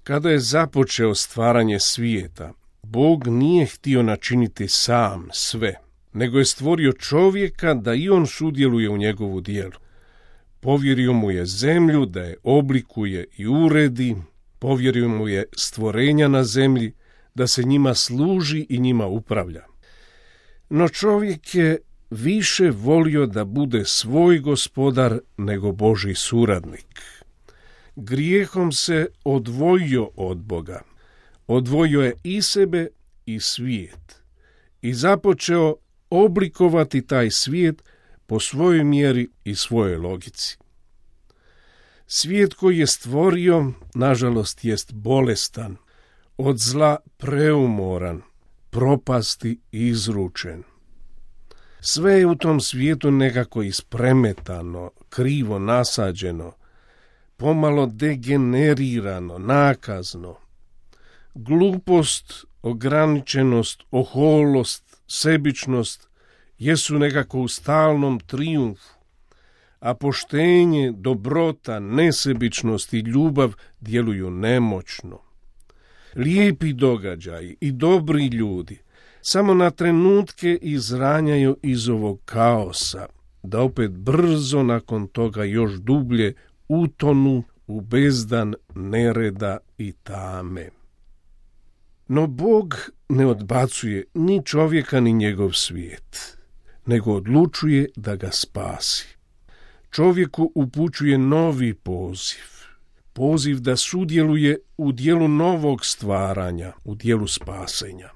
Kada je započeo stvaranje svijeta, Bog nije htio načiniti sam sve, nego je stvorio čovjeka da i on sudjeluje u njegovu djelu. Povjerio mu je zemlju da je oblikuje i uredi, povjerio mu je stvorenja na zemlji, da se njima služi i njima upravlja. No čovjek je više volio da bude svoj gospodar nego Božji suradnik. Grijehom se odvojio od Boga, odvojio je i sebe i svijet i započeo oblikovati taj svijet po svojoj mjeri i svojoj logici. Svijet koji je stvorio, nažalost, jest bolestan, od zla preumoran, propasti izručen. Sve je u tom svijetu nekako ispremetano, krivo nasađeno, pomalo degenerirano, nakazno. Glupost, ograničenost, oholost, sebičnost jesu nekako u stalnom trijumfu, a poštenje, dobrota, nesebičnost i ljubav djeluju nemoćno. Lijepi događaji i dobri ljudi samo na trenutke izranjaju iz ovog kaosa, da opet brzo nakon toga još dublje utonu u bezdan nereda i tame. No Bog ne odbacuje ni čovjeka ni njegov svijet, nego odlučuje da ga spasi. Čovjeku upućuje novi poziv da sudjeluje u dijelu novog stvaranja, u dijelu spasenja.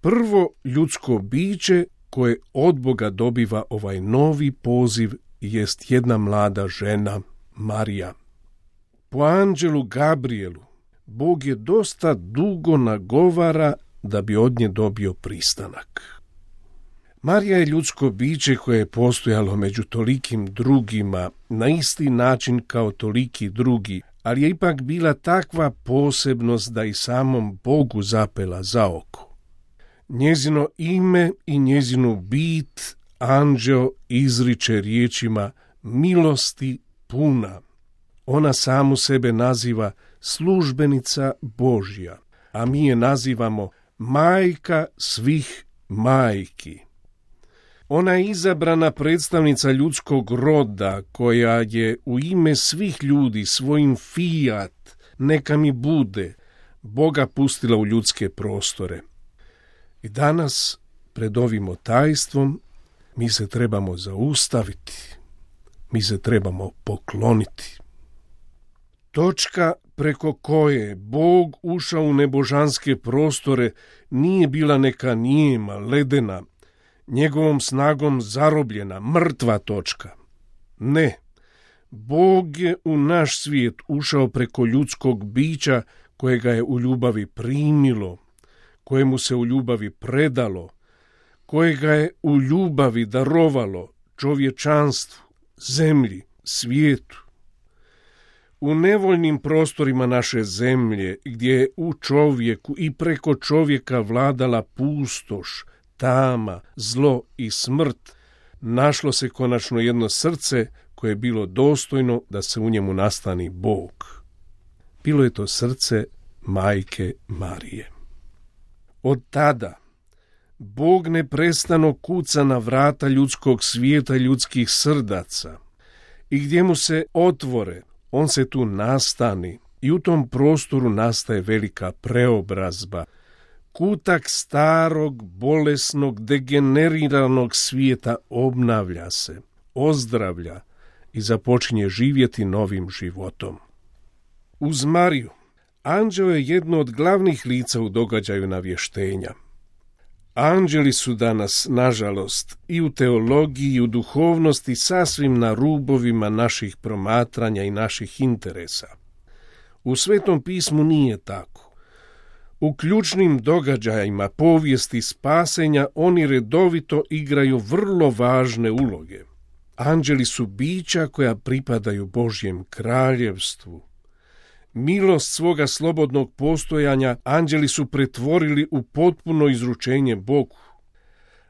Prvo ljudsko biće koje od Boga dobiva ovaj novi poziv jest jedna mlada žena, Marija. Po anđelu Gabrielu Bog je dosta dugo nagovara da bi od nje dobio pristanak. Marija je ljudsko biće koje je postojalo među tolikim drugima na isti način kao toliki drugi, ali je ipak bila takva posebnost da i samom Bogu zapela za oko. Njezino ime i njezinu bit anđeo izriče riječima milosti puna. Ona samu sebe naziva službenica Božja, a mi je nazivamo majka svih majki. Ona je izabrana predstavnica ljudskog roda koja je u ime svih ljudi svojim fiat, neka mi bude, Boga pustila u ljudske prostore. I danas, pred ovim tajstvom, mi se trebamo zaustaviti, mi se trebamo pokloniti. Točka preko koje Bog ušao u nebožanske prostore nije bila neka nijema, ledena, njegovom snagom zarobljena, mrtva točka. Ne, Bog je u naš svijet ušao preko ljudskog bića kojega je u ljubavi primilo, kojemu se u ljubavi predalo, kojega je u ljubavi darovalo čovječanstvu, zemlji, svijetu. U nevoljnim prostorima naše zemlje, gdje je u čovjeku i preko čovjeka vladala pustoš, tama, zlo i smrt, našlo se konačno jedno srce koje je bilo dostojno da se u njemu nastani Bog. Bilo je to srce majke Marije. Od tada Bog neprestano kuca na vrata ljudskog svijeta, ljudskih srdaca, i gdje mu se otvore, on se tu nastani i u tom prostoru nastaje velika preobrazba. Kutak starog, bolesnog, degeneriranog svijeta obnavlja se, ozdravlja i započinje živjeti novim životom. Uz Mariju, anđeo je jedno od glavnih lica u događaju navještenja. Anđeli su danas, nažalost, i u teologiji i u duhovnosti sasvim na rubovima naših promatranja i naših interesa. U Svetom pismu nije tako. U ključnim događajima povijesti spasenja oni redovito igraju vrlo važne uloge. Anđeli su bića koja pripadaju Božjem kraljevstvu. Milost svoga slobodnog postojanja anđeli su pretvorili u potpuno izručenje Bogu.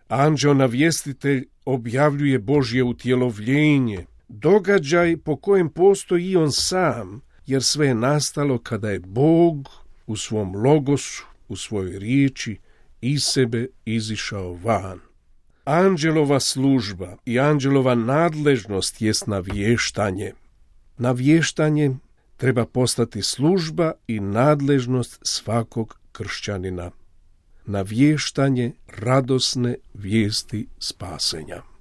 Anđeo navjestitelj objavljuje Božje utjelovljenje, događaj po kojem postoji i on sam, jer sve je nastalo kada je Bog u svom logosu, u svojoj riječi, iz sebe izišao van. Anđelova služba i anđelova nadležnost jest navještanje. Navještanje treba postati služba i nadležnost svakog kršćanina. Navještanje radosne vijesti spasenja.